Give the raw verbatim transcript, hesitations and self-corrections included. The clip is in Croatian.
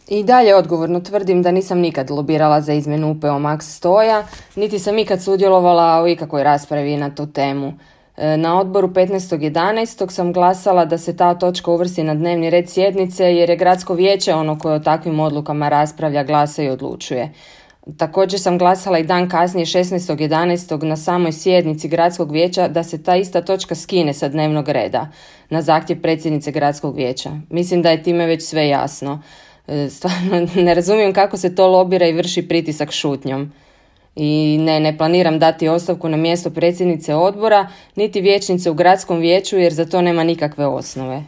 I dalje odgovorno tvrdim da nisam nikad lobirala za izmjenu U P O Max stoja, niti sam ikad sudjelovala u ikakvoj raspravi na tu temu. Na odboru petnaestog jedanaestog sam glasala da se ta točka uvrsti na dnevni red sjednice jer je gradsko vijeće ono koje o takvim odlukama raspravlja, glasa i odlučuje. Također sam glasala i dan kasnije šesnaestog jedanaestog na samoj sjednici gradskog vijeća da se ta ista točka skine sa dnevnog reda na zahtjev predsjednice gradskog vijeća. Mislim da je time već sve jasno. Stvarno ne razumijem kako se to lobira i vrši pritisak šutnjom. I ne, ne planiram dati ostavku na mjesto predsjednice odbora, niti vijećnice u gradskom vijeću jer za to nema nikakve osnove.